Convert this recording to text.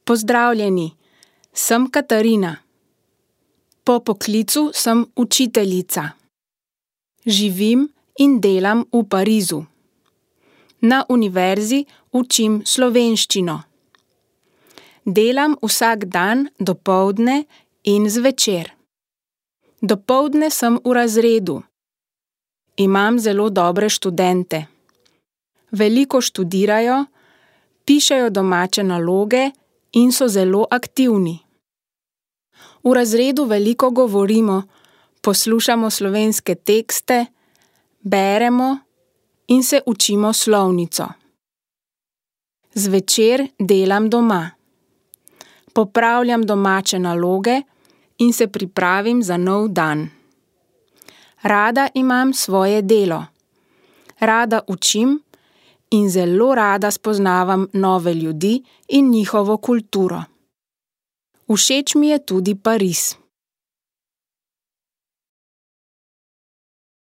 Pozdravljeni, sem Katarina. Po poklicu sem učiteljica. Živim in delam v Parizu. Na univerzi učim slovenščino. Delam vsak dan dopoldne in zvečer. Dopoldne sem v razredu. Imam zelo dobre študente. Veliko študirajo, pišejo domače naloge in so zelo aktivni. V razredu veliko govorimo, poslušamo slovenske tekste, beremo in se učimo slovnico. Zvečer delam doma. Popravljam domače naloge in se pripravim za nov dan. Rada imam svoje delo. Rada učim in zelo rada spoznavam nove ljudi in njihovo kulturo. Všeč mi je tudi Pariz.